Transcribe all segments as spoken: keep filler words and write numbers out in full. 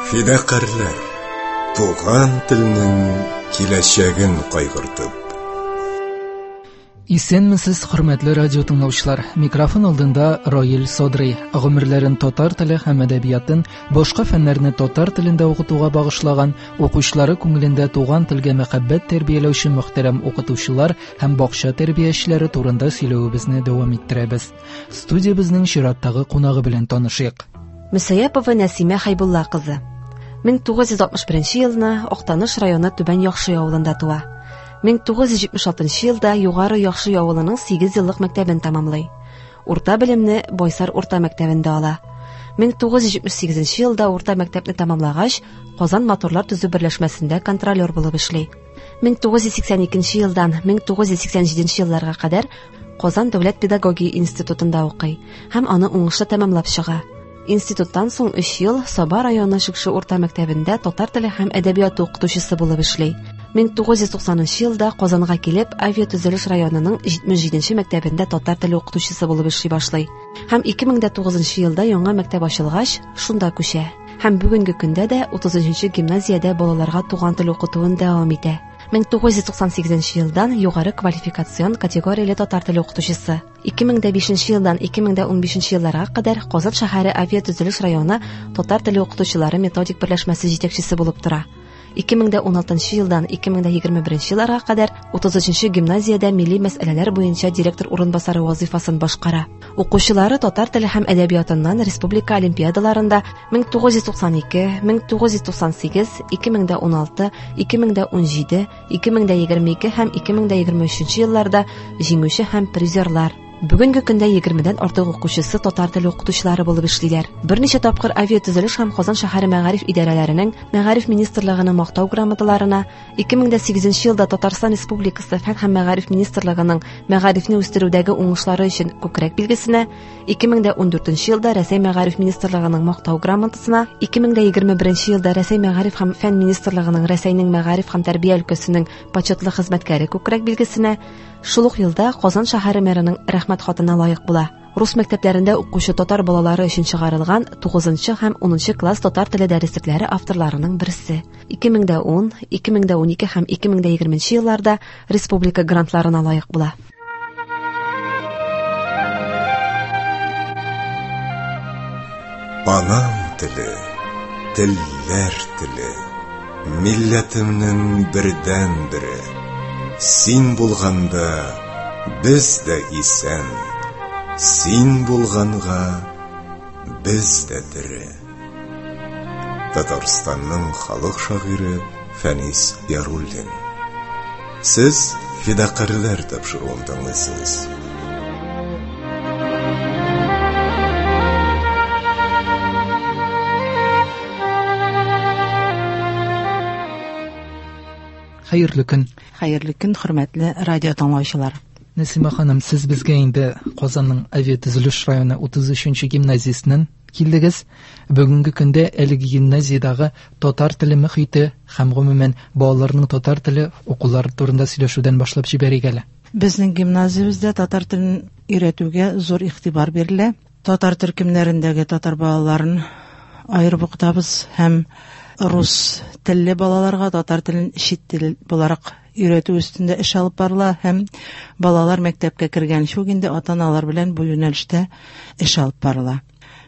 Фидакарьләр, туган телнең киләчәген кайгыртып. Исәнмесез, хөрмәтле радио тыңлаучылар. Микрофон алдында Раил Садрый. Гомерләрен татар теле һәм әдәбиятын, башка фәннәрне татар телендә укытуга багышлаган, укучылары күңелендә туган телгә мәхәббәт тәрбияләүче мөхтәрәм укытучылар һәм бакча тәрбиячеләре турында сөйләвебезне дәвам иттерәбез. Студиябезнең чираттагы кунагы белән танышыйк. Мөсәяпова Нәсимә Хәйбулла кызы. мең тугыз йөз алтмыш беренче елны Актаныш районы Түбән Яхшый авылында туа. мең тугыз йөз җитмеш алтынчы елда Югары Яхшый авылының сигез еллык мәктәбен тәмамлый. Урта белемне Байсар урта мәктәбендә ала. мең тугыз йөз җитмеш сигезенче елда урта мәктәпне тәмамлагач, Казан моторлар төзү берләшмәсендә контролер булып эшли. мең тугыз йөз сиксән икенче елдан мең тугыз йөз сиксән җиденче елларга кадәр Казан дәүләт педагогия институтында укый һәм аны уңышлы тәмамлап чыга. Институттан соң өч ел Саба районы Шекше урта мәктәбендә татар теле һәм әдәбияты укытучысы булып эшли. мең тугыз йөз туксанынчы елда Казанга килеп, авиатөзелеш районының җитмеш җиденче мәктәбендә татар теле укытучысы булып эшли башлый. Һәм ике мең дә тугызынчы елда яңа мәктәп ачылгач, шунда күчә. Һәм бүгенге көндә дә утыз өченче гимназиядә балаларга туган тел укытуын дәвам итә. мең тугыз йөз туксан сигезенче елдан югары квалификацион категорияле татар теле укытучысы. ике мең дә бишенче елдан ике мең дә унбишенче елларга кадәр Казан шәһәре авиатөзелеш районы татар теле укытучылары методик берләшмәсе җитәкчесе булып тора. ике мең дә уналтынчы елдан ике мең дә егерме беренче елларга кадәр утыз өченче гимназиядә милли мәсьәләләр буенча директор урынбасары вазифасын башкара. Укучылары татар теле һәм әдәбиятыннан республика олимпиадаларында мең тугыз йөз туксан ике, мең тугыз йөз туксан сигез, ике мең дә уналты, ике мең дә унҗиде, ике мең дә егерме ике һәм ике мең дә егерме өченче елларда җиңүче һәм призерлар. Бүгенге көндә егермедән артык укучысы татар теле укытучылары булып эшлиләр. Берничә тапкыр авиатөзелеш һәм Казан шәһәре мәгариф идарәләренең Мәгариф министрлыгының мактау грамоталарына, ике мең дә сигезенче елда Татарстан Республикасы Фән һәм Мәгариф министрлыгының мәгарифне үстерүдәге уңышлары өчен күкрәк билгесенә, ике мең дә ундүртенче елда Рәсәй Мәгариф министрлыгының мактау грамотасына, ике мең дә егерме беренче елда Рәсәй Мәгариф һәм Фән министрлыгының Рәсәйнең мәгариф һәм тәрбия өлкәсенең почетлы хезмәткәре күкрәк билгесенә, шул ук елда Казан шәһәре мэрының рәхмәт хатына лаек була. Рус мәктәпләрендә укучы татар балалары өчен чыгарылган тугызынчы һәм унынчы класс татар теле дәреслекләре авторларының берсе. ике мең дә ун, ике мең дә унике һәм ике мең дә егерменче елларда республика грантларына лаек була. Анам теле, телләр теле, милләтемнең бердәнбере. Син булганда без дә исән, син булганга без дә тере. Татарстанның халык шагыйре Фәнис Яруллин. Сез Фидакарьләр тапшыруын тыңлыйсыз. Хәерле көн. Хәерле көн, хөрмәтле радио тыңлаучылар. Нәсимә ханым, сез безгә инде Казанның авиатөзелеш районы утыз өченче гимназиясеннән килдегез. Бүгенге көндә әлеге гимназиядәге татар теле мөхите һәм гомумән балаларның татар теле укулары турында сөйләшүдән башлап җибәрик әле. Безнең гимназиябездә татар телен өйрәтүгә зур игътибар бирелә. Татар төркемнәрендәге татар балаларын аерып укытабыз һәм рус телле балаларга татар телен чит тел буларак өйрәтү өстендә эш алып барыла һәм балалар мәктәпкә кергәнче үк инде ата-аналар белән бу юнәлештә эш алып барыла.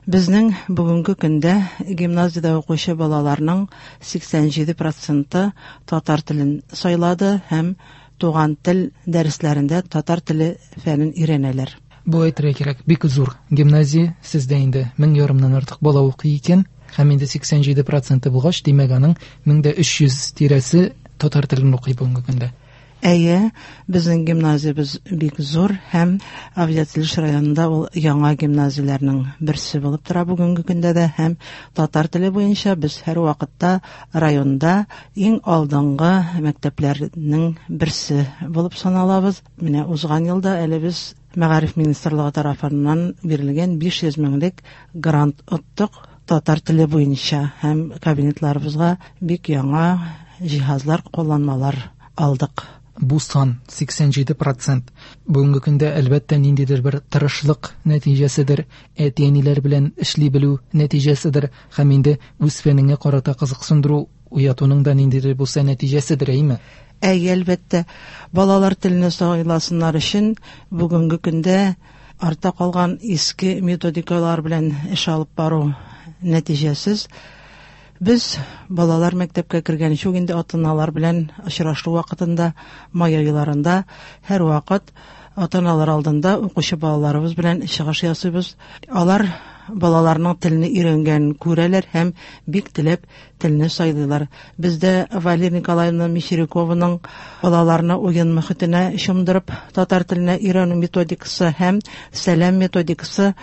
Безнең бүгенге көндә гимназиядә укучы балаларның сиксән җиде проценты татар телен сайлады һәм туган тел дәресләрендә татар теле фәнен өйрәнәләр. Бу әйтергә кирәк, бик зур гимназия, сездә инде мең ярымнан артык бала укый икән. Һәм инде сиксән җиде проценты булгач, димәк, аның мең дә өч йөз тирәсе татар телен укый бүгенге көндә. Әйе, безнең гимназиябез бик зур һәм авиатөзелеш районында ул яңа гимназияләрнең берсе булып тора бүгенге көндә дә һәм татар теле буенча без һәр вакытта районда иң алдынгы мәктәпләрнең берсе булып саналабыз. Менә узган елда әле без Мәгариф министрлыгы тарафыннан бирелгән биш йөз меңлек грант оттык татар теле буенча һәм кабинетларыбызга бик яңа җиһазлар, кулланмалар алдык. бу сан сиксән җиде процент бүгенге көндә әлбәттә ниндидер бер тырышлык нәтиҗәседер, әти-әниләр белән эшли белү нәтиҗәседер һәм инде үз фәнеңә карата кызыксындыру уятуның да ниндидер булса нәтиҗәседер, әйме? Әй, әлбәттә, балалар телене сайласыннар өчен бүгенге көндә артта калган иске методикалар белән эш алып бару нәтиҗәсез. Без балалар мәктәпкә кергәнче үк инде ата-аналар белән очрашу вакытында, май айларында һәр вакыт ата-аналар алдында укучы балаларыбыз белән чыгыш ясыйбыз. Алар балаларның телне өйрәнгәнен күрәләр һәм бик теләп телне сайлыйлар. Бездә Валерия Николаевна Мещерякованың балаларны уен мөхитенә чумдырып татар теленә өйрәнү методикасы һәм сәлам методикасы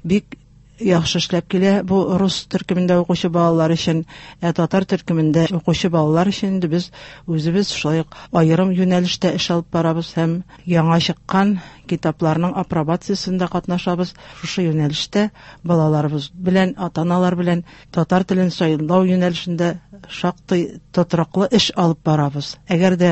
бик яхшы эшләп килә. Бу рус төркемендә укучы балалар өчен, ә татар төркемендә укучы балалар өчен инде без үзебез шулай ук аерым юнәлештә эш алып барабыз һәм яңа чыккан китапларның апробациясендә катнашабыз. Шушы юнәлештә балаларыбыз белән, ата-аналар белән татар телен сайлау юнәлешендә шактый тотрыклы эш алып барабыз. Әгәр дә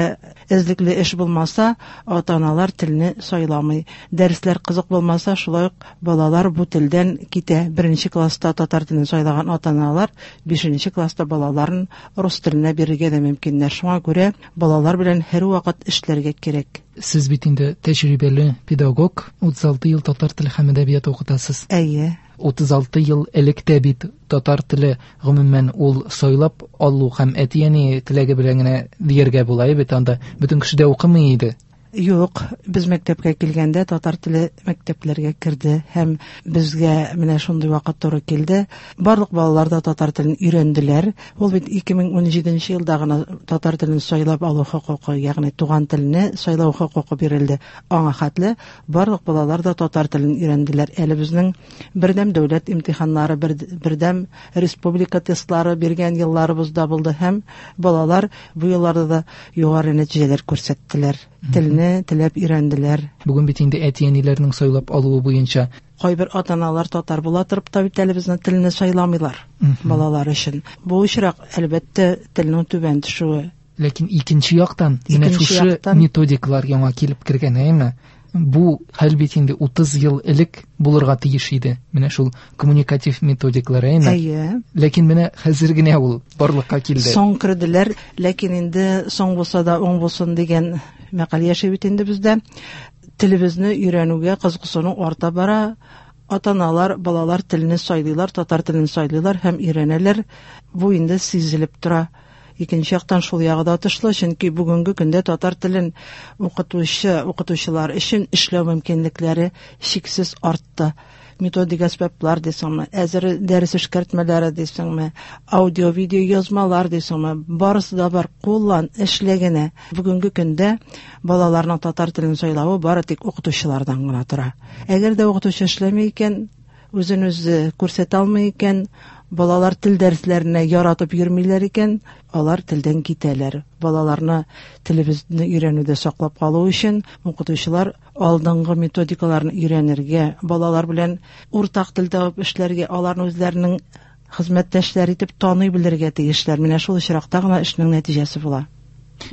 эзлекле эш булмаса, ата-аналар телне сайламый. Дәресләр кызык булмаса, шулай ук балалар бу телдән китә. Беренче класста татар телен сайлаган ата-аналар бишенче класста балаларын рус теленә бирергә дә мөмкиннәр. Шуңа күрә балалар белән һәрвакыт эшләргә кирәк. Сез бит инде тәҗрибәле педагог, утыз алты ел татар теле һәм әдәбияты укытасыз. Әйе. Утыз алты ел элек тә бит татар теле гомумән ул сайлап алу һәм әти-әни теләге белән генә дияргә була бит, анда бөтен кеше дә укымый иде. Юк, без мәктәпкә килгәндә татар теле мәктәпләргә керде һәм безгә менә шундый вакыт туры килде. Барлык балалар да татар телен өйрәнделәр. Ул бит ике мең унҗиденче елда гына татар телен сайлап алу хокукы, ягъни туган телне сайлау хокукы бирелде. Аңа хәтле барлык балалар да татар телен өйрәнделәр. Әле безнең бердәм дәүләт имтиханнары, бердәм республика тестлары биргән елларыбыз да булды һәм балалар бу елларда да югары нәтиҗәләр күрсәттеләр. Телне теләп өйрәнделәр. Бүген бит инде әти-әниләрнең сайлап алуы буенча кайбер ата-аналар татар була торып та бит әле безнең телне сайламыйлар балалар өчен. Бу очрак, әлбәттә, телнең түбән төшүе. Ләкин икенче яктан, менә шушы методикалар яңа килеп кергән, әйеме? Бу хәл бит инде утыз ел элек булырга тиеш иде. Менә шул коммуникатив методикалар, әйеме? Әйе. Ләкин менә хәзер генә ул барлыкка килде. Соң керделәр, ләкин инде соң булса да уң булсын дигән мәкаль яши бит инде бездә. Телебезне өйрәнүгә кызыксыну арта бара. Ата-аналар балалар телне сайлыйлар, татар телен сайлыйлар һәм өйрәнәләр. Бу инде сизелеп тора. Икенче яктан шул ягы да отышлы, чөнки бүгенге көндә татар телен укытучы, укытучылар өчен эшләү мөмкинлекләре чиксез артты. Методик әсбаплар дисеңме, әзер дәрес эшкәртмәләре дисеңме, аудио-видео язмалар дисеңме, барысы да бар, куллан, эшлә генә. Бүгенге көндә балаларның татар телен сайлавы бары тик укытучылардан гына тора. Әгәр дә укытучы эшләми икән, үзен үзе күрсәтә алмый икән, балалар тел дәресләренә яратып йөрмиләр икән, алар телдән китәләр. Балаларны телебезне өйрәнүдә саклап калу өчен укытучылар алдынгы методикаларны өйрәнергә, балалар белән уртак тел табып эшләргә, аларны үзләренең хезмәттәшләре итеп таный белергә тиешләр. Менә шул очракта гына эшнең нәтиҗәсе була.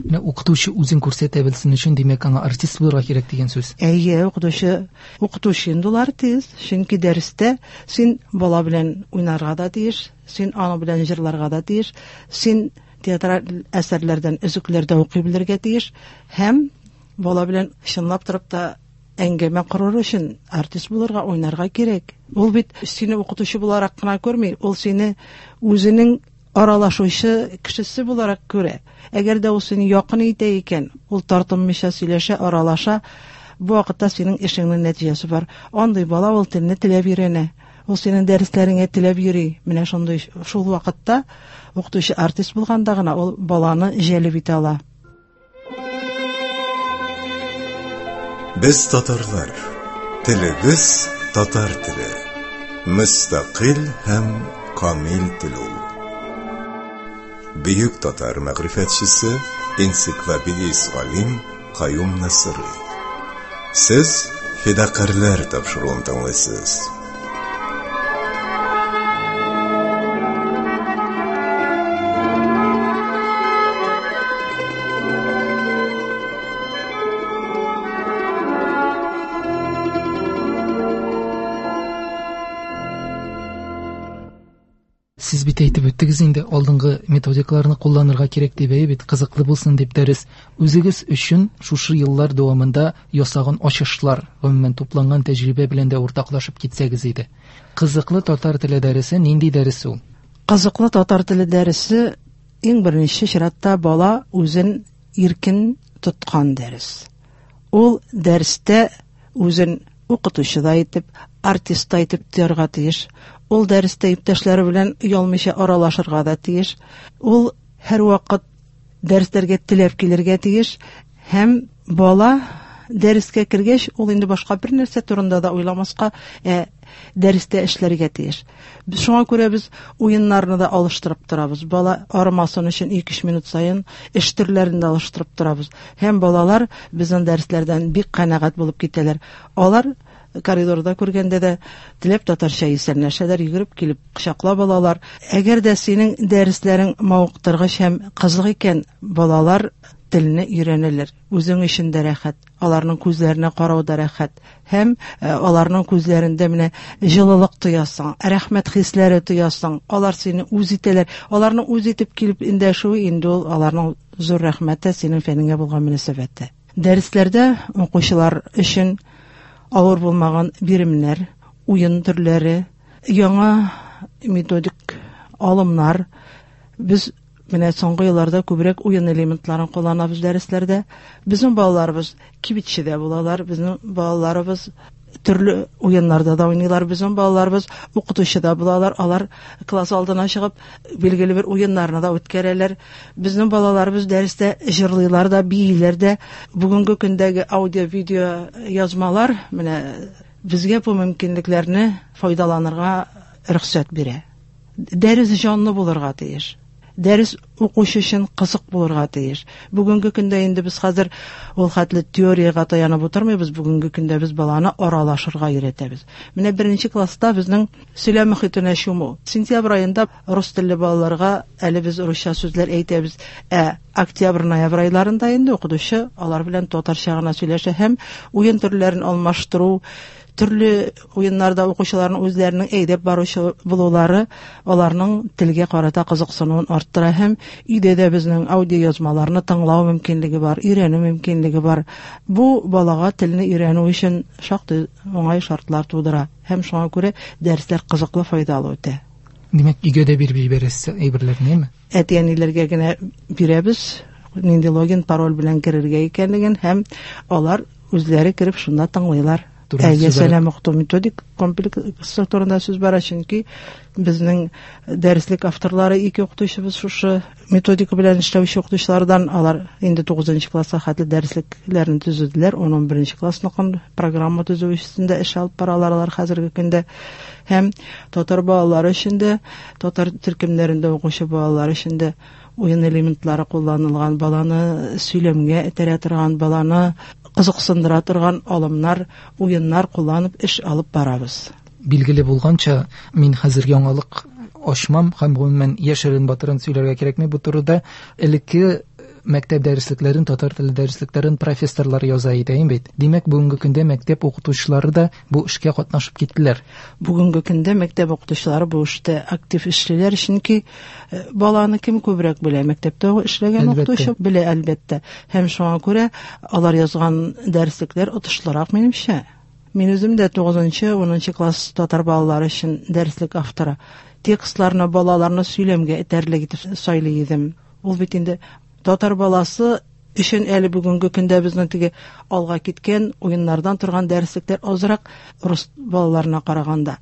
Менә укытучы үзен күрсәтә белсен өчен, димәк, аңа артист булырга кирәк дигән сүз. Әйе, укытучы, укытучы инде ул артист, чөнки дәрестә син бала белән уйнарга да тиеш, син аның белән җырларга да тиеш, син театраль әсәрләрдән өзекләр дә укый белергә тиеш һәм бала белән чынлап торып та әңгәмә корыр өчен артист булырга, уйнарга кирәк. Ул бит сине укытучы буларак кына күрми, ул сине үзенең аралашучы кешесе буларак күрә. Әгәр дә ул сине якын итә икән, ул тартынмыйча сөйләшә, аралаша, бу вакытта синең эшеңнең нәтиҗәсе бар. Андый бала ул телне теләп өйрәнә, ул синең дәресләреңә теләп йөри. Менә шундый шул вакытта укытучы артист булганда гына ул баланы җәлеп итә ала. Без татарлар, телебез татар теле, мөстәкыйль һәм камил тел ул. Бөек татар мәгърифәтчесе, энциклопедист галим Каюм Насыйри. Сез Фидакарьләр тапшыруын тыңлыйсыз. Сез бит әйтеп үттегез инде, алдынгы методикаларны кулланырга кирәк дип, әйе бит, кызыклы булсын дип дәрес. Үзегез өчен шушы еллар дәвамында ясаган ачышлар, гомумән тупланган тәҗрибә белән дә уртаклашып китсәгез иде. Кызыклы татар теле дәресе нинди дәрес ул? Кызыклы татар теле дәресе иң беренче чиратта бала үзен иркен тоткан дәрес. Ул дәрестә үзен укытучы да итеп, артист та итеп тоярга тиеш. Ул дәрестә иптәшләре белән оялмыйча аралашырга да тиеш. Ул һәрвакыт дәресләргә теләп килергә тиеш. Һәм бала дәрескә кергәч, ул инде башка бер нәрсә турында да уйламаска, ә дәрестә эшләргә тиеш. Без шуңа күрә без уеннарны да алыштырып торабыз. Бала арымасын өчен ике-өч минут саен эш төрләрен дә алыштырып торабыз. Һәм балалар безнең дәресләрдән бик канәгать булып китәләр. Алар коридорда күргәндә дә теләп татарча исәнләшәләр, йөгереп килеп кочаклап алалар. Әгәр дә синең дәресләрең мавыктыргыч һәм кызык икән, балалар телне өйрәнәләр. Үзең өчен дә рәхәт, аларның күзләренә карау да рәхәт. Һәм, э, аларның күзләрендә менә җылылык тоясың, рәхмәт хисләре тоясың. Алар сине үз итәләр. Аларның үз итеп килеп эндәшүе инде ул аларның зур рәхмәте синең фәнеңә булган мөнәсәбәте. Дәресләрдә укучылар өчен авыр булмаган биремнәр, уен төрләре, яңа методик алымнар. Без менә соңгы елларда күбрәк уен элементларын кулланабыз дәресләрдә. Безнең балаларыбыз кибетчедә булалар, безнең балаларыбыз төрле уеннарда да уйныйлар, безнең балаларыбыз укытучыда булалар, алар класс алдына чыгып билгеле бер уеннарны да үткәрәләр. Безнең балаларыбыз дәрестә җырлыйлар да, бииләр дә. Бүгенге көндәге аудио-видео язмалар менә безгә бу мөмкинлекләрне файдаланырга рөхсәт бирә. Дәрес җанлы булырга тиеш. Дәрес укучы өчен кызык булырга тиеш. Бүгенге көндә инде без хәзер ул хәтле теориягә таянып утырмыйбыз. Бүгенге көндә без баланы аралашырга өйрәтәбез. Менә беренче класста безнең сөйләм мөхитенә чуму. Сентябрь аенда рус телле балаларга әле без русча сүзләр әйтәбез. Ә октябрь, ноябрь айларында инде укытучы алар белән татарча гына сөйләшә һәм уен төрләрен алмаштыру, төрле уеннарда укучыларның үзләренең әйдәп баручы булулары аларның телгә карата кызыксынуын арттыра һәм өйдә дә безнең аудиоязмаларны тыңлау мөмкинлеге бар, өйрәнү мөмкинлеге бар. Бу балага телне өйрәнү өчен шактый уңай шартлар тудыра һәм шуңа күрә дәресләр кызыклы, файдалы үтә. Димәк, өйгә дә биреп җибәрәсез әйберләрне, әйме? Әти-әниләргә генә бирәбез, нинди логин, пароль белән керергә икәнлеген һәм алар үзләре кереп шунда тыңлыйлар. Турында Әйе, сүз бара. сәлам укыту методик комплексы турында сүз бара, чөнки безнең дәреслек авторлары ике укытучыбыз шушы методика белән эшләүче укытучылардан, алар инде тугызынчы класска хәтле дәреслекләрне төзеделәр, ун ун беренче классныкын программа төзү өстендә эш алып баралар алар хәзерге көндә. Һәм татар балалары өчен дә, татар төркемнәрендә укучы балалар өчен дә уен элементлары кулланылган, баланы сөйләмгә этәрә торган, баланы кызыксындыра торган алымнар, уеннар кулланып эш алып барабыз. Билгеле булганча, мин хәзер яңалык ачмам һәм гомумән яшерен батырын сөйләргә кирәкми бу турыда. Элекке мәктәп дәреслекләрен, татар теле дәреслекләрен профессорлар яза иде, әйе бит. Димәк, бүгенге көндә мәктәп укытучылары да бу эшкә катнашып киттеләр. Бүгенге көндә мәктәп укытучылары бу эштә актив эшлиләр, чөнки, э, баланы кем күбрәк белә? Мәктәптә эшләгән Әлбәттә. укытучы белә, әлбәттә. Һәм шуңа күрә алар язган дәреслекләр отышлырак минемчә. Мин үзем дә тугызынчы, унынчы класс татар балалары өчен дәреслек авторы. Текстларны балаларны сөйләмгә этәрлек итеп сайлый идем. Ул бит инде татар баласы өчен әле бүгенге көндә безнең теге алга киткән уеннардан торган дәреслекләр азрак рус балаларына караганда.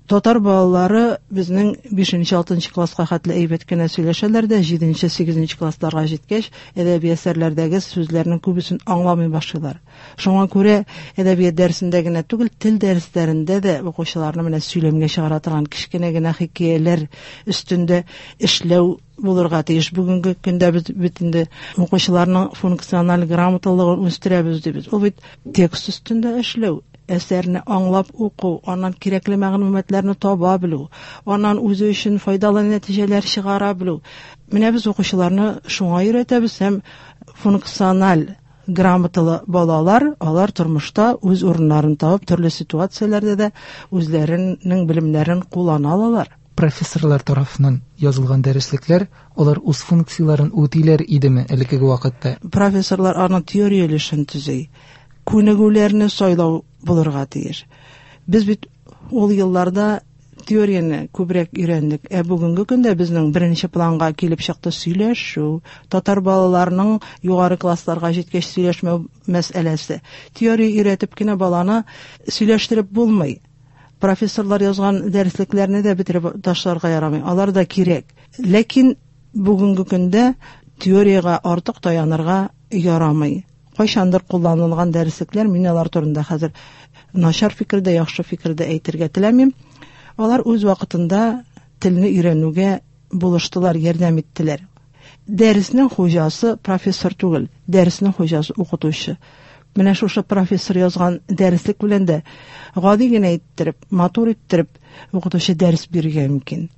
Татар балалары безнең бишенче, алтынчы класска хәтле әйбәт кенә сөйләшәләр дә, җиденче, сигезенче классларга җиткәч, әдәби әсәрләрдәге сүзләрнең күбесен аңламый башлыйлар. Шуңа күрә әдәбият дәресендә генә түгел, тел дәресләрендә дә укучыларны менә сөйләмгә чыгара торган кечкенә генә хикәяләр өстендә эшләү булырга тиеш. Бүгенге көндә без бит инде укучыларның функциональ грамоталыгын үстерәбез дибез. Ул бит текст өстендә эшләү, әсәрне аңлап уку, аннан кирәкле мәгълүматларны таба белү, аннан үзе өчен файдалы нәтиҗәләр чыгара белү. Менә без укучыларны шуңа өйрәтәбез һәм функциональ грамоталы балалар, алар тормышта үз урыннарын табып, төрле ситуацияләрдә дә үзләренең белемнәрен куллана алалар. Профессорлар тарафыннан язылган дәреслекләр, алар үз функцияләрен үтиләр идеме элеккеге вакытта? Профессорлар аның теория өлешен төзи. Күнегүләрне сайлау булырга тиеш. Без бит ул елларда теорияне күбрәк өйрәндек. Ә бүгенге көндә безнең беренче планга килеп чыкты сөйләшү, татар балаларының югары классларга җиткәч сөйләшмәү мәсьәләсе. Теория өйрәтеп кенә баланы сөйләштереп булмый. Профессорлар язган дәреслекләрне дә бетереп ташларга ярамый. Алар да кирәк. Ләкин бүгенге көндә теориягә артык таянырга ярамый. Кайчандыр кулланылган дәреслекләр, мин алар турында хәзер начар фикердә, яхшы фикердә әйтергә теләмим. Алар үз вакытында телне өйрәнүгә булыштылар, ярдәм иттеләр. Дәреснең хуҗасы профессор түгел, дәреснең хуҗасы укытучы. Менә шушы профессор язган дәреслек белән дә гади генә иттереп, матур иттереп укытучы дәрес бирергә мөмкин.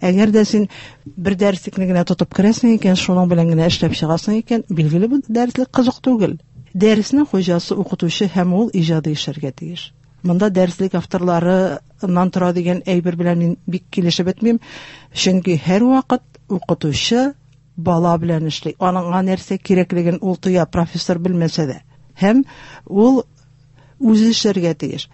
Әгәр дә син бер дәреслекне генә тотып керәсең икән, шуның белән генә эшләп чыгасың икән, билгеле бу дәреслек кызык түгел. Дәреснең хуҗасы укытучы һәм ул иҗади эшләргә тиеш. Монда дәреслек авторларыннан тора дигән әйбер белән мин бик килешеп бетмим, чөнки һәрвакыт укытучы бала белән эшли. Аның нәрсә кирәклеген ул тоя, профессор белмәсә дә. Һәм ул үзе эшләргә тиеш.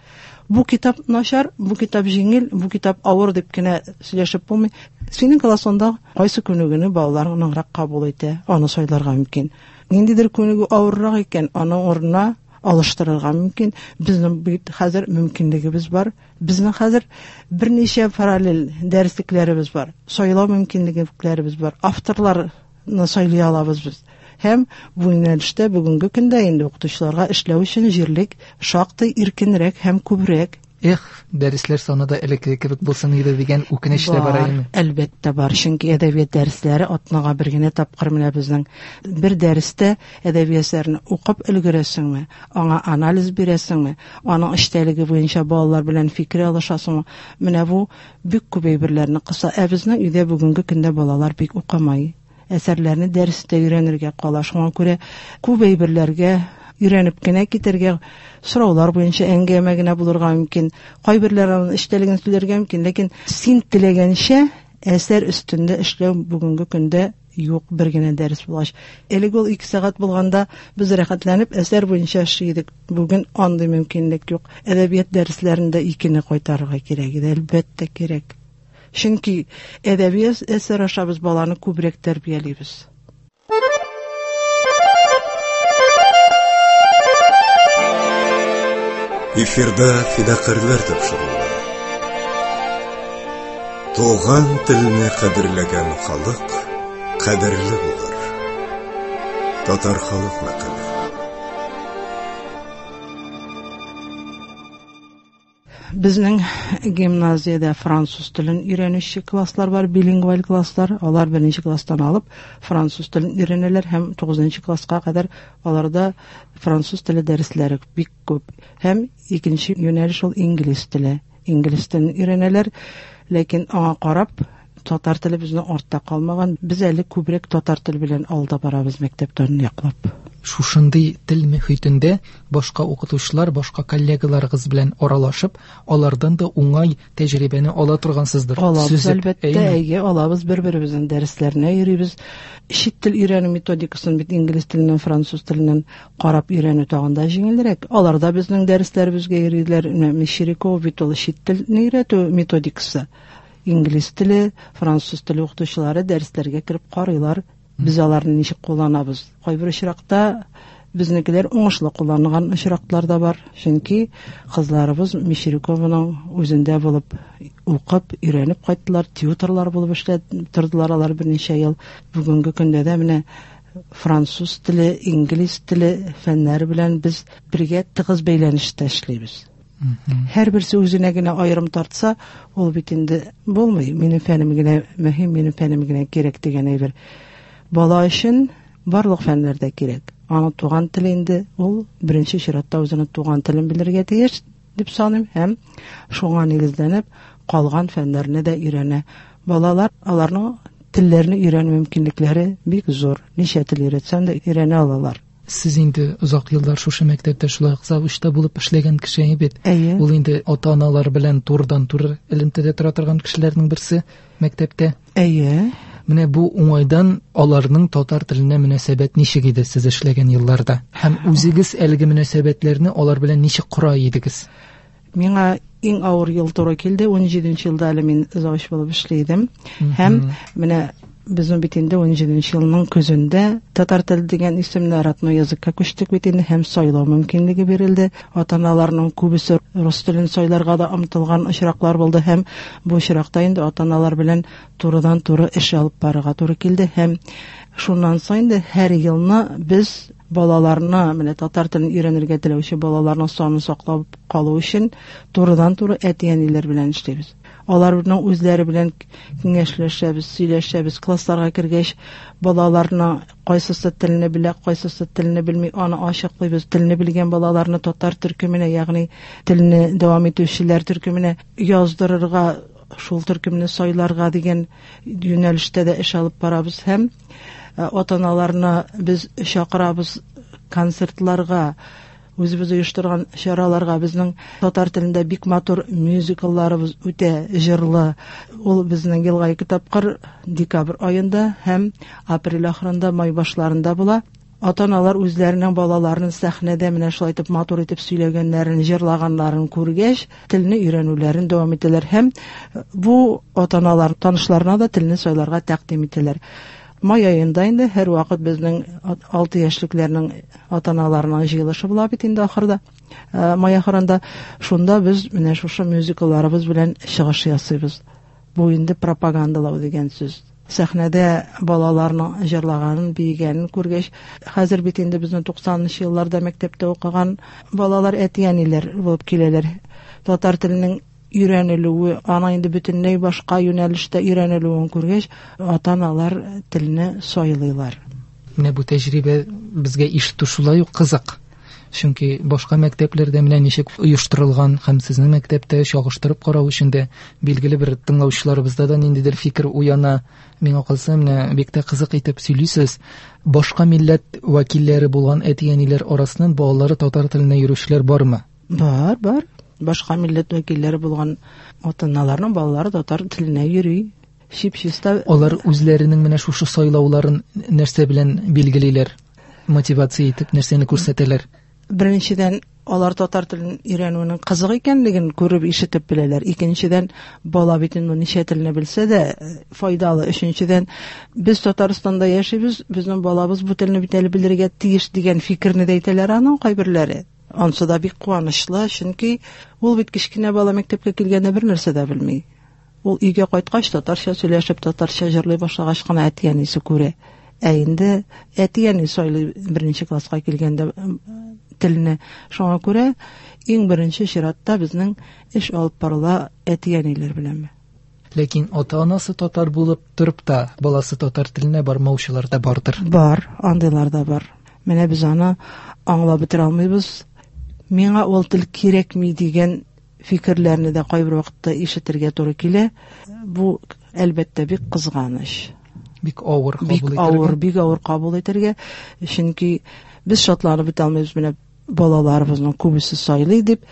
Бу китап начар, бу китап җиңел, бу китап авыр дип кенә сөйләшеп булмый. Синең классыңда кайсы күнегүне балалар ныграк кабул итә, аны сайларга мөмкин. Ниндидер күнегү авыррак икән, аның урынына алыштырырга мөмкин. Безнең бит хәзер мөмкинлегебез бар. Безнең хәзер берничә параллель дәреслекләребез бар. Сайлау мөмкинлекләребез бар. Авторларны сайлый алабыз без. Һәм бу юнәлештә бүгенге көндә инде укытучыларга эшләү өчен җирлек шактый иркенрәк һәм күбрәк. Эх, дәресләр саны да элеккеге кебек булсын иде дигән үкенеч тә бар әйеме? Әлбәттә бар, чөнки әдәбият дәресләре атнага бер генә тапкыр менә безнең бер дәрестә әдәби әсәрне укып өлгерәсеңме, аңа анализ бирәсеңме, аның эчтәлеге буенча балалар белән фикер алышасыңмы? Менә бу бик күп әйберләрне кыса. Ә безнең өйдә бүгенге көндә балалар бик укымай. Әсәрләрне дәрестә өйрәнергә кала. Шуңа күрә күп әйберләргә өйрәнеп кенә китәргә, сораулар буенча әңгәмә генә булырга мөмкин. Кайберләр аның эчтәлеген сөйләргә мөмкин, ләкин син теләгәнчә әсәр өстендә эшләү бүгенге көндә юк, бер генә дәрес булгач. Элек ул ике сәгать булганда без рәхәтләнеп әсәр буенча эшли идек. Бүген андый мөмкинлек юк. Әдәбият дәресләрендә икене кайтарырга кирәк иде, әлбәттә кирәк. Чөнки әдәби әсәр аша без баланы күбрәк тәрбиялибез. Эфирда фидакарьләр тапшыруы. Туган телне кадерләгән халык кадерле булыр. Татар халык мәкале. Безнең гимназиядә француз телен өйрәнүче класслар бар, билингваль класслар. Алар беренче класстан алып француз телен өйрәнәләр һәм тугызынчы класска кадәр аларда француз теле дәресләре бик күп. Һәм икенче юнәлеш ул инглиз теле. Инглиз телен өйрәнәләр, ләкин аңа карап татар теле безнең артта калмаган. Без әле күбрәк татар теле белән алда барабыз мәктәптән яклап. Шушындый тел мөхитендә башка укытучылар, башка коллегаларыгыз белән аралашып, алардан да уңай тәҗрибәне ала торгансыздыр. Алабыз, әлбәттә, әйе, алабыз, бер-беребезнең дәресләренә йөрибез. Чит тел өйрәнү методикасын бит инглиз теленнән, француз теленнән карап өйрәнү тагын да җиңелрәк. Алар да безнең дәресләребезгә йөриләр. Менә Мещерякова бит ул чит телне өйрәтү методикасы. Инглиз теле, француз теле укытучылары дәресләргә кереп карыйлар. Без аларны ничек кулланабыз? Кайбер очракта безнекеләр уңышлы кулланган очраклар да бар. Чөнки кызларыбыз Мещерякованың үзендә булып укып, өйрәнеп кайттылар, тьюторлар булып эшләп тордылар алар берничә ел. Бүгенге көндә дә менә француз теле, инглиз теле фәннәре белән без бергә тыгыз бәйләнештә эшлибез. Һәрберсе үзенә генә аерым тартса, ул бит инде булмый. Минем фәнем генә мөһим, минем фәнем генә кирәк дигән әйбер. Бала өчен барлык фәннәр дә кирәк. Аның туган теле инде ул беренче чиратта үзенең туган телен белергә тиеш дип саныйм һәм шуңа нигезләнеп калган фәннәрне дә өйрәнә. Балалар аларның телләрне өйрәнү мөмкинлекләре бик зур. Ничә тел өйрәтсәң дә өйрәнә алалар. Сез инде озак еллар шушы мәктәптә шулай ук завучта булып эшләгән кеше бит. Әйе. Ул инде ата-аналар белән турыдан-туры элемтәдә тора торган кешеләрнең берсе мәктәптә. Әйе. Менә бу уңайдан аларның татар теленә мөнәсәбәт ничек иде сез эшләгән елларда? Һәм үзегез әлеге мөнәсәбәтләрне алар белән ничек кора идегез? Миңа иң авыр ел туры килде. ун җиденче елда әле мин завуч булып эшли идем. Һәм менә безнең бит инде ун җиденче елның көзендә татар теле дигән исемне родной языкка күчтек бит инде һәм сайлау мөмкинлеге бирелде. Ата-аналарның күбесе рус телен сайларга да омтылган очраклар булды һәм бу очракта инде ата-аналар белән турыдан-туры эш алып барырга туры килде һәм шуннан соң инде һәр елны без балаларны, менә татар телен өйрәнергә теләүче балаларның санын саклап калу өчен турыдан-туры әти-әниләр белән эшлибез. Аларның үзләре белән киңәшләшәбез, сөйләшәбез. Классларга кергәч, балаларны кайсысы телне белә, кайсысы телне белми, аны ачыклыйбыз. Телне белгән балаларны татар төркеменә, ягъни телне дәвам итүчеләр төркеменә яздырырга, шул төркемне сайларга дигән юнәлештә дә эш алып барабыз һәм ата-аналарны без чакырабыз концертларга, үзебез оештырган чараларга. Безнең татар телендә бик матур мюзиклларыбыз үтә җырлы. Ул безнең елга ике тапкыр декабрь аенда һәм апрель ахырында, май башларында була. Ата-аналар үзләренең балаларын сәхнәдә менә шулай итеп матур итеп сөйләгәннәрен, җырлаганнарын күргәч, телне өйрәнүләрен дәвам итәләр һәм бу ата-аналар танышларына да телне сайларга тәкъдим итәләр. Май аенда инде һәр вакыт безнең алты яшьлекләрнең ата-аналарының җыелышы була бит инде ахырда. Май ахырында шунда без менә шушы мюзиклларыбыз белән чыгыш ясыйбыз. Бу инде пропагандалау дигән сүз. Сәхнәдә балаларның җырлаганын, биегәнен күргәч, хәзер бит инде безнең туксанынчы елларда мәктәптә укыган балалар әти-әниләр булып киләләр. Татар теленең өйрәнелүе, аның инде бөтенләй башка юнәлештә өйрәнелүен күргәч, ата-аналар телне сайлыйлар. Менә бу тәҗрибә безгә ишетү шулай ук кызык. Чөнки башка мәктәпләрдә менә ничек оештырылган һәм сезнең мәктәптә чагыштырып карау өчен дә билгеле бер тыңлаучыларыбызда да ниндидер фикер уяна. Миңа калса, менә бик тә кызык итеп сөйлисез. Башка милләт вәкилләре булган әти-әниләр арасыннан балалары татар теленә йөрүчеләр бармы? Бар, бар. Башка милләт вәкилләре булган ата-аналарның балалары татар теленә йөри. Чип-чиста. Алар үзләренең менә шушы сайлауларын нәрсә белән билгелиләр? Мотивация итеп нәрсәне күрсәтәләр? Беренчедән, алар татар телен өйрәнүнең кызык икәнлеген күреп, ишетеп беләләр. Икенчедән, бала бит инде ничә телне белсә дә файдалы. Өченчедән, без Татарстанда яшибез, безнең балабыз бу телне бит әле белергә тиеш дигән фикерне дә әйтәләр аның кайберләре. Ансы да бик куанычлы, чөнки ул бит кечкенә бала мәктәпкә килгәндә бер нәрсә дә белми. Ул өйгә кайткач татарча сөйләшеп, татарча җырлый башлагач кына әти-әнисе күрә. Ә инде әти-әни сайлый беренче класска килгәндә телне. Шуңа күрә иң беренче чиратта безнең эш алып барыла әти-әниләр белән. Ләкин ата-анасы татар булып торып та баласы татар теленә бармаучылар да бардыр. Бар, андыйлар да бар. Менә без аны аңлап бетерә алмыйбыз. Миңа ул тел кирәкми дигән фикерләрне дә кайбер вакытта ишетергә туры килә. Бу әлбәттә бик кызганыч. Бик авыр кабул итәргә. Бик авыр, бик авыр кабул итәргә. Чөнки без шатланып бетә алмыйбыз, менә балаларыбызның күбесе сайлый дип.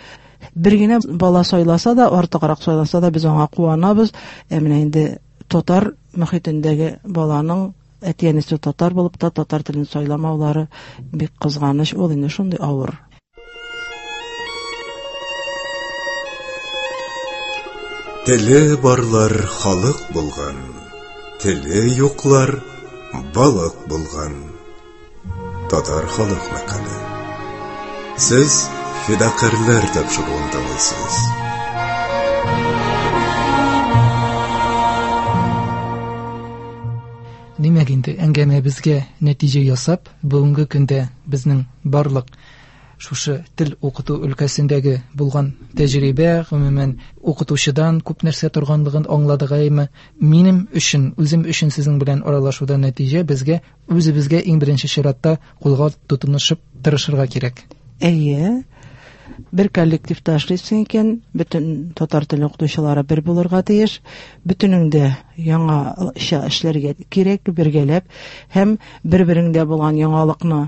Бер генә бала сайласа да, артыграк сайласа да без аңа куанабыз. Ә менә инде татар мөхитендәге баланың әти-әнисе татар булып та татар телен сайламаулары бик кызганыч. Ул инде шундый авыр. Теле барлар халык булган, теле юклар балык булган. Татар халык мәкале. Сез фидакарьләр тапшыруын тыңлыйсыз. Димәк инде әңгәмәбезгә нәтиҗә ясап, бүгенге көндә безнең барлык шушы тел укыту өлкәсендәге булган тәҗрибә, гомумән укытучыдан күп нәрсә торганлыгын аңладык әйме. Минем өчен, үзем өчен сезнең белән аралашуда нәтиҗә безгә үзебезгә иң беренче чиратта кулга тотынышып тырышырга кирәк. Әйе, бер коллективта эшлисең икән, бөтен татар теле укытучылары бер булырга тиеш, бөтенең дә яңача эшләргә кирәк, бергәләп һәм бер-береңдә булган яңалыкны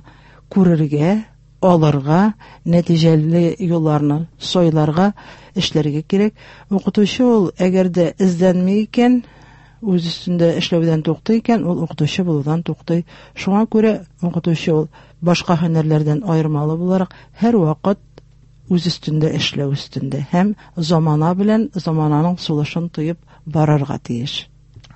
күрергә, алырга, нәтиҗәле юлларны сайларга, эшләргә кирәк. Укытучы ул әгәр дә эзләнми икән, үз өстендә эшләүдән туктый икән, ул укытучы булудан туктый. Шуңа күрә укытучы ул башка һөнәрләрдән аермалы буларак һәрвакыт үз өстендә эшләү өстендә һәм замана белән замананың сулышын тоеп барырга тиеш.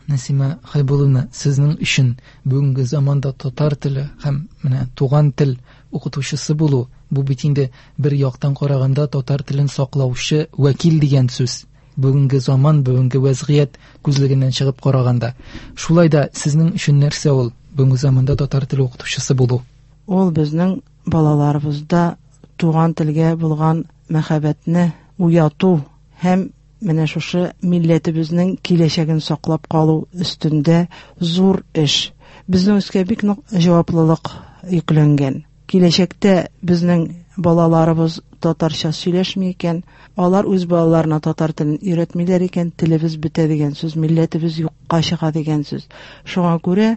Нәсимә Хәйбулловна, сезнең өчен бүгенге заманда татар теле һәм менә туган тел укытучысы булу, бу бит инде бер яктан караганда татар телен саклаучы вәкил дигән сүз. Бүгенге заман, бүгенге вәзгыять күзлегеннән чыгып караганда. Шулай да сезнең өчен нәрсә ул бүгенге заманда татар теле укытучысы булу? Ул безнең балаларыбызда туган телгә булган мәхәббәтне уяту һәм менә шушы милләтебезнең киләчәген саклап калу өстендә зур эш. Безнең өскә бик нык җаваплылык йөкләнгән. Киләчәктә безнең балаларыбыз татарча сөйләшми икән, алар үз балаларына татар телен өйрәтмиләр икән, телебез бетә дигән сүз, милләтебез юкка чыга дигән сүз. Шуңа күрә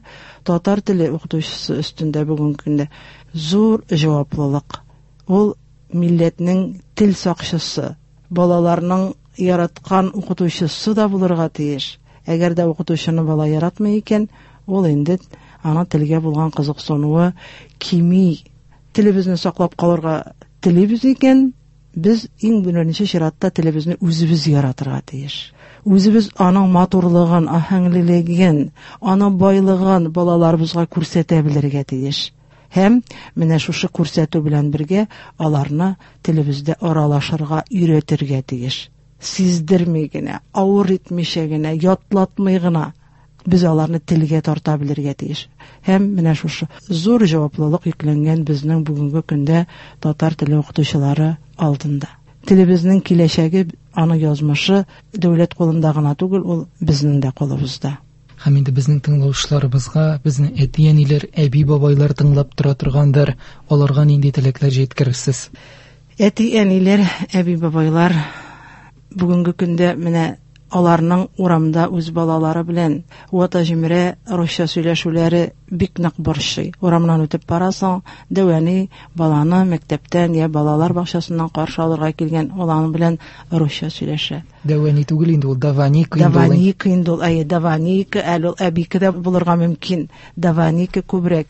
татар теле укытучысы өстендә бүгенге көндә зур җаваплылык. Ул милләтнең тел сакчысы, балаларның яраткан укытучысы да булырга тиеш. Әгәр дә укытучыны бала яратмый икән, ул инде ана телгә булган кызыксынуы кими. Телебезне саклап калырга телибез икән, без иң беренче чиратта телебезне үзебез яратырга тиеш. Үзебез аның матурлыгын, аһәңлелеген, аның байлыгын балаларыбызга күрсәтә белергә тиеш. Һәм менә шушы күрсәтү белән бергә аларны телебездә аралашырга өйрәтергә тиеш. Сиздерми генә, авыр итмичә генә, ятлатмый гына без аларны телгә тарта белергә тиеш. Һәм менә шушы зур җаваплылык йөкләнгән безнең бүгенге көндә татар теле укытучылары алдында. Телебезнең киләчәге, аның язмышы дәүләт кулында гына түгел, ул безнең дә кулыбызда. Һәм инде безнең тыңлаучыларыбызга, безнең әти-әниләр, әби-бабайлар тыңлап тора торгандыр, аларга нинди теләкләр җиткерерсез? Әти-әниләр, әби-бабайлар бүгенге көндә менә аларның урамда үз балалары белән вата җимерә русча сөйләшүләре бик нык борчый. Урамнан үтеп барасың, дәү әни баланы мәктәптән я балалар бакчасыннан каршы алырга килгән, ул аның белән русча сөйләшә. Дәү әни түгел инде ул, даваника инде ул. Даваника инде ул, әйе, даваника, әле ул әбике дә булырга мөмкин. Даваника күбрәк.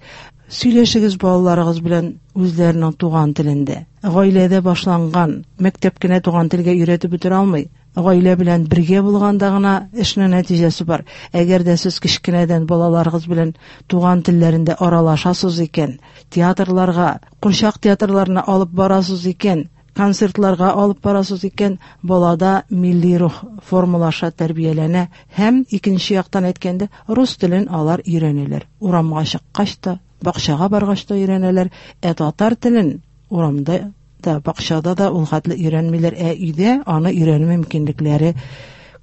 Сөйләшегез балаларыгыз белән үзләренең туган телендә. Гаиләдә башланган, мәктәп кенә туган телгә өйрәтеп бетерә алмый. Гаилә белән бергә булганда гына эшнең нәтиҗәсе бар. Әгәр дә сез кечкенәдән балаларыгыз белән туган телләрендә аралашасыз икән, театрларга, курчак театрларына алып барасыз икән, концертларга алып барасыз икән, балада милли рух формалаша, тәрбияләнә һәм икенче яктан әйткәндә рус телен алар өйрәнәләр. Урамга чыккач та, бакчага баргач та өйрәнәләр, ә татар телен урамда да, бакчада да ул хәтле өйрәнмиләр, ә өйдә аны өйрәнү мөмкинлекләре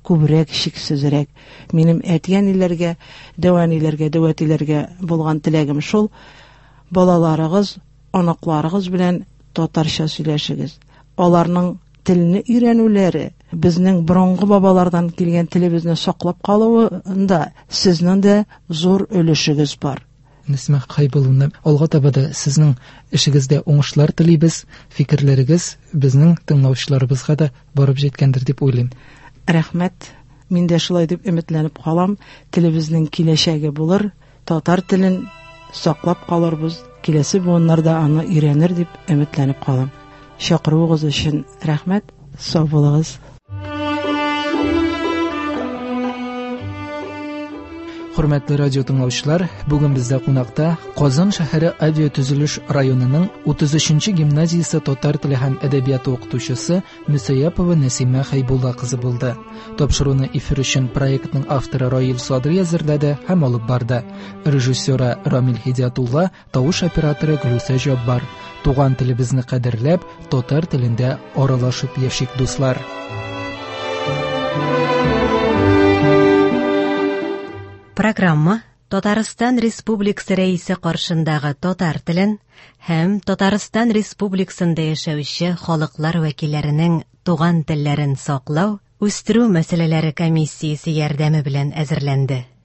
күбрәк, шиксезрәк. Минем әти-әниләргә, дәү әниләргә, дәү әтиләргә булган теләгем шул: балаларыгыз, оныкларыгыз белән татарча сөйләшегез. Аларның телне өйрәнүләре, безнең борынгы бабалардан килгән телебезне саклап калуында сезнең дә зур өлешегез бар. Нәсимә Хәйбулловна, алга таба да сезнең эшегездә уңышлар телибез, фикерләрегез безнең тыңлаучыларыбызга да барып җиткәндер дип уйлыйм. Рәхмәт. Мин дә шулай дип өметләнеп калам. Телебезнең киләчәге булыр, татар телен саклап калырбыз, киләсе буыннар да аны өйрәнер дип өметләнеп калам. Чакыруыгыз өчен рәхмәт. Сау булыгыз. Хөрмәтле радио тыңлаучылар, бүген бездә кунакта Казан шәһәре авиатөзелеш районының утыз өченче гимназиясе татар теле һәм әдәбияты укытучысы Мөсәяпова Нәсимә Хәйбулла кызы булды. Тапшыруны эфир өчен проектның авторы Раил Садри әзерләде һәм алып барды. Режиссеры Рамил Һидиятулла, тавыш операторы Гөлүсә Җаббар. Туган телебезне кадерләп, татар телендә аралашып яшик, дуслар. Программа Татарстан Республикасы Рәисе каршындагы татар телен һәм Татарстан Республикасында яшәүче халыклар вәкилләренең туган телләрен саклау, үстерү мәсьәләләре комиссиясе ярдәме белән әзерләнде.